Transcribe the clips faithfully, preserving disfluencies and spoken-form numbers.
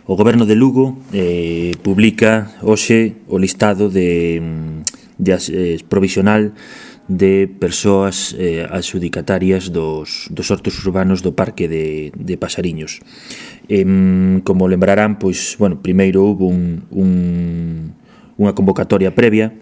O Goberno de Lugo eh, publica hoxe o listado de, de eh, provisional de persoas eh, adxudicatarias dos, dos hortos urbanos do Parque de, de Pasariños. Eh, como lembrarán, pois, bueno, primeiro houve un, un, unha convocatoria previa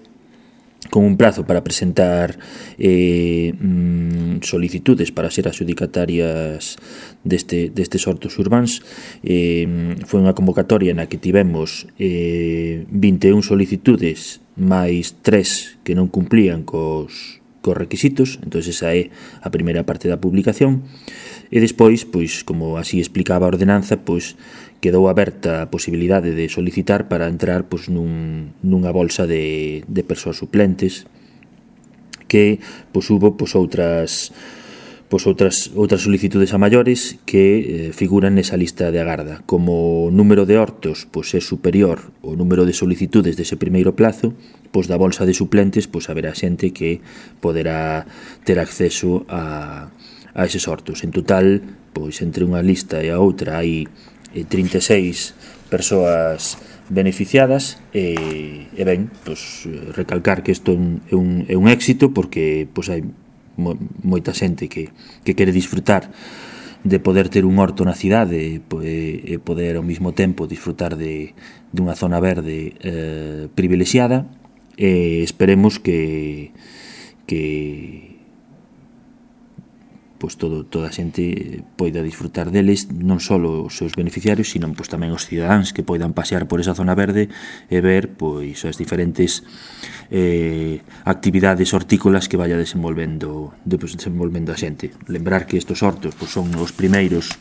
con un prazo para presentar eh, mm, solicitudes para ser adxudicatarias deste, destes hortos urbans. Eh, foi unha convocatoria na que tivemos eh, vinte e un solicitudes máis tres que non cumplían cos, cos requisitos. Entón esa é a primeira parte da publicación. E despois, pois, como así explicaba a ordenanza, pois quedou aberta a posibilidade de solicitar para entrar pois, nun, nunha bolsa de, de persoas suplentes que pois, hubo pois, outras, pois, outras, outras solicitudes a maiores que eh, figuran nesa lista de agarda. Como o número de hortos pois, é superior ao número de solicitudes dese primeiro plazo, pois, da bolsa de suplentes pois, haberá xente que poderá ter acceso a, a eses hortos. En total, pois, entre unha lista e a outra hai trinta e seis persoas beneficiadas e, e ben, pois, recalcar que isto é un, é un éxito porque pois, hai mo, moita xente que, que quere disfrutar de poder ter un horto na cidade e, e poder ao mesmo tempo disfrutar de, de unha zona verde eh, privilexiada e esperemos que que pois todo, toda a xente poida disfrutar deles, non só os seus beneficiarios, sino pois, tamén os cidadáns que poidan pasear por esa zona verde e ver pois, as diferentes eh, actividades hortícolas que vaya desenvolvendo, de, pois, desenvolvendo a xente. Lembrar que estes hortos pois, son os primeiros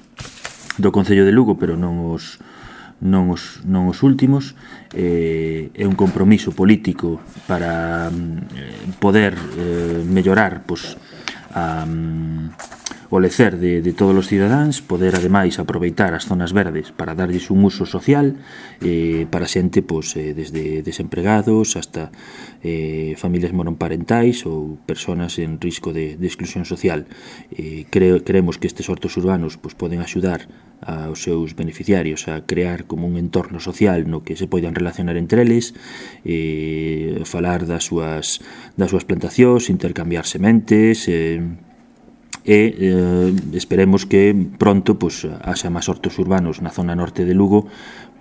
do Concello de Lugo, pero non os non os, non os últimos. Eh, é un compromiso político para eh, poder eh, mellorar pois, a, um, o lecer de, de todos os cidadáns, poder ademais aproveitar as zonas verdes para darlles un uso social eh, para xente pois, eh, desde desempregados hasta eh, familias monoparentais ou persoas en risco de, de exclusión social. Eh, cre, creemos que estes hortos urbanos pois, poden axudar aos seus beneficiarios a crear como un entorno social no que se poidan relacionar entre eles, eh, falar das súas, das súas plantacións, intercambiar sementes eh, e eh, esperemos que pronto pois, haxa máis hortos urbanos na zona norte de Lugo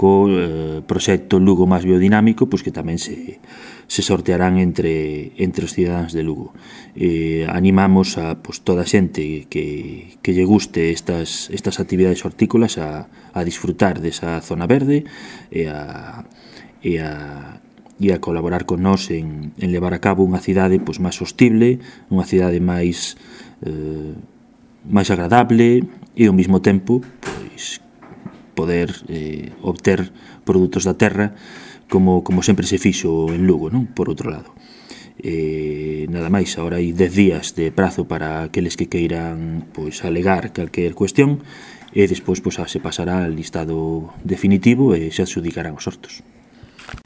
co eh, proxecto Lugo máis biodinámico pois, que tamén se, se sortearán entre, entre os cidadáns de Lugo. Eh, animamos a pois, toda a xente que, que lle guste estas, estas actividades hortícolas a, a disfrutar desa zona verde e a, e a, e a colaborar con nós en, en levar a cabo unha cidade pois, máis sostible, unha cidade máis eh, máis agradable e ao mesmo tempo pois, poder eh, obter produtos da terra como, como sempre se fixo en Lugo, non? Por outro lado. Eh, nada máis, agora hai dez días de prazo para aqueles que queiran pois, alegar calquer cuestión e despois pois, se pasará al listado definitivo e se adxudicarán os hortos.